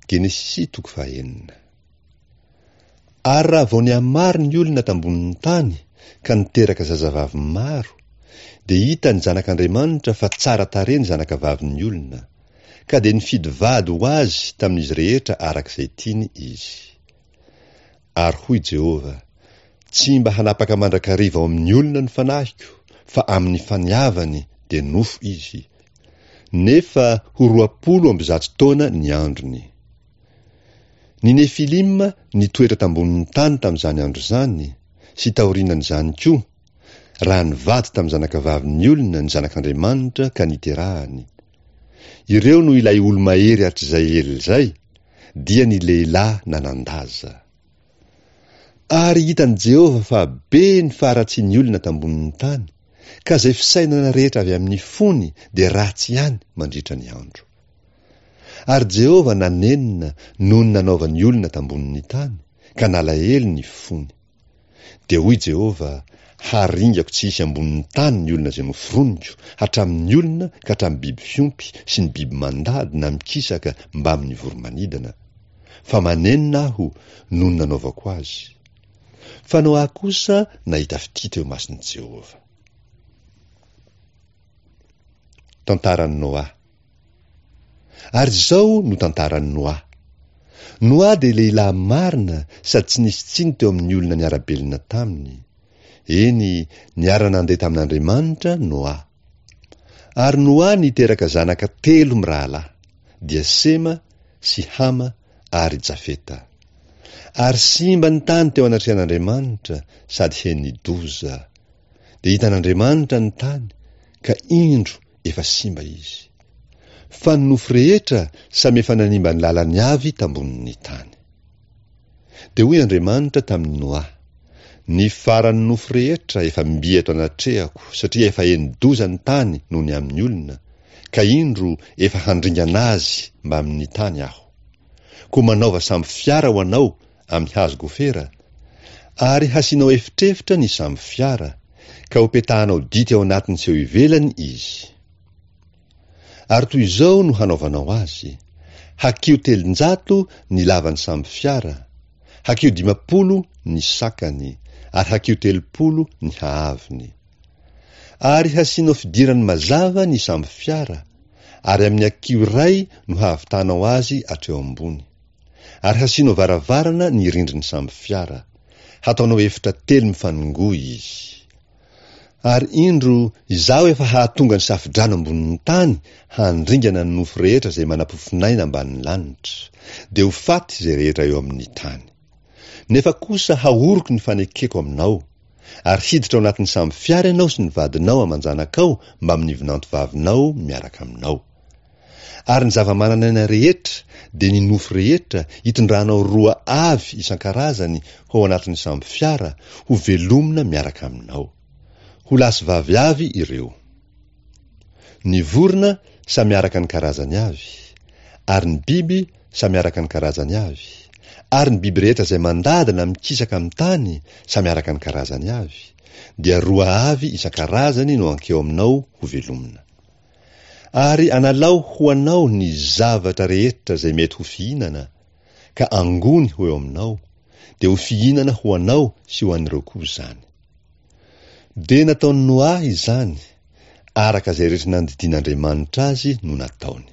Genesisy toko fahenina. Ary raha vao nihamaro ny olona tambonin'ny tany ka niteraka zazavavy maro, dia hitan'ny Zanak'Andriamanitra fa tsara tarehy ny zanakavavin'ny olona, ka dia nifidy vady ho azy tamin'izy rehetra araka izay tiany izy. Ary hoy Jehovah, Tsy mba hanapaka mandrakariva ao amin'ny olona ny fanahiko, fa amin'ny faniavany dia nofo izy. Nefa ho 120 taona ny androny. Ny Nefilima nitoetra tambonin'ny tany tamin'izany andro izany, sy taorianan'izany koa, raha nivady tamin'ny zanakavavin'ny olona ny Zanak'Andriamanitra ka niterahany. Ireo no ilay olo-mahery hatrizay ela izay, dia ny lehilahy nanan-daza. Ary hitan'i Jehovah fa be ny faharatsian'ny olona tambonin'ny tany, ka izay fisainana rehetra avy amin'ny fony dia ratsy ihany mandritra ny andro. Ary Jehovah nanenina noho ny nanaovany olona tambonin'ny tany, ka nalahelo ny fony. Dia hoy Jehovah, Haringako tsy hisy ambonin'ny tany ny olona izay noforoniko, hatramin'ny olona ka hatramin'ny biby fiompy sy ny biby mandady na mikisaka mbamin'ny voro-manidina. Fa manenina Aho noho ny nanaovako azy. Fa Noa kosa nahita fitia teo imason'i Jehovah. Tantaran'i Noa. Ary izao no tantaran'i Noa. Noa dia lehilahy marina sady tsy nisy tsiny teo amin'ny olona niara-belona taminy. Eny, niara-nandeha tamin'Andriamanitra Noa. Ary Noa niteraka zanaka telo mirahalahy, dia Sema sy Hama ary Jafeta. Ary simba ny tany teo anatrehan'Andriamanitra sady heni-doza. Dia hitan'Andriamanitra ny tany, ka indro efa simba izy. Fa ny nofo rehetra samy efa nanimba ny lalany avy tambonin'ny tany. Dia hoy Andriamanitra tamin'i Noa, Ny faran'ny nofo rehetra efa mby eto anatrehako, satria efa heni-doza ny tany noho ny amin'ny olona, ka indro efa handringana azy mbamin'ny tany Aho. Koa manaova sambo fiara ho anao amin'ny hazo gofera, ary hasianao efitrefitra ny sambo fiara, ka hopetahanao dity ao anatiny sy eo ivelany izy. Ary toy izao no hanaovanao azy, Hakiho 300 ny lavan'ny sambo fiara, hakiho 50 ny sakany, ary hakiho 30 ny haavony. Ary hasianao fidirany mazava ny sambo fiara, ary amin'ny hakiho iray no hahavitanao azy hatreo ambony. Ary hasianao varavarana ny rindrin'ny sambo fiara. Hataonao efitra telo mifanongoa izy. Ary indro, Izaho efa hahatonga ny safodrano ambonin'ny tany handringana ny nofo rehetra izay manam-pofonaina ambanin'ny lanitra, dia ho faty izay rehetra eo amin'ny tany. Nefa kosa hahoriko ny fanekeko aminao, ary hiditra ao anatin'ny sambo fiara ianao sy ny vadinao aman-janakao mbamin'ny vinantovavinao miaraka aminao. Ary ny zava-manan'aina rehetra, dia ny nofo rehetra, hitondranao roa avy isan-karazany ho ao anatin'ny sambo fiara, ho velomina miaraka aminao. Ho lahy sy vavy avy ireo. Ny vorona samy araka ny karazany avy, ary ny biby samy araka ny karazany avy, ary ny biby rehetra izay mandady na mikisaka amin'ny tany samy araka ny karazany avy, dia roa avy isan-karazany no hankeo aminao ho velomina. Ary analao ho anao ny zavatra rehetra izay mety ho fihinana, ka angony ho eo aminao, dia ho fihinana ho anao sy ho an'ireo koa izany. Dia nataon'i Noa izany, araka izay rehetra nandidian'Andriamanitra azy no nataony.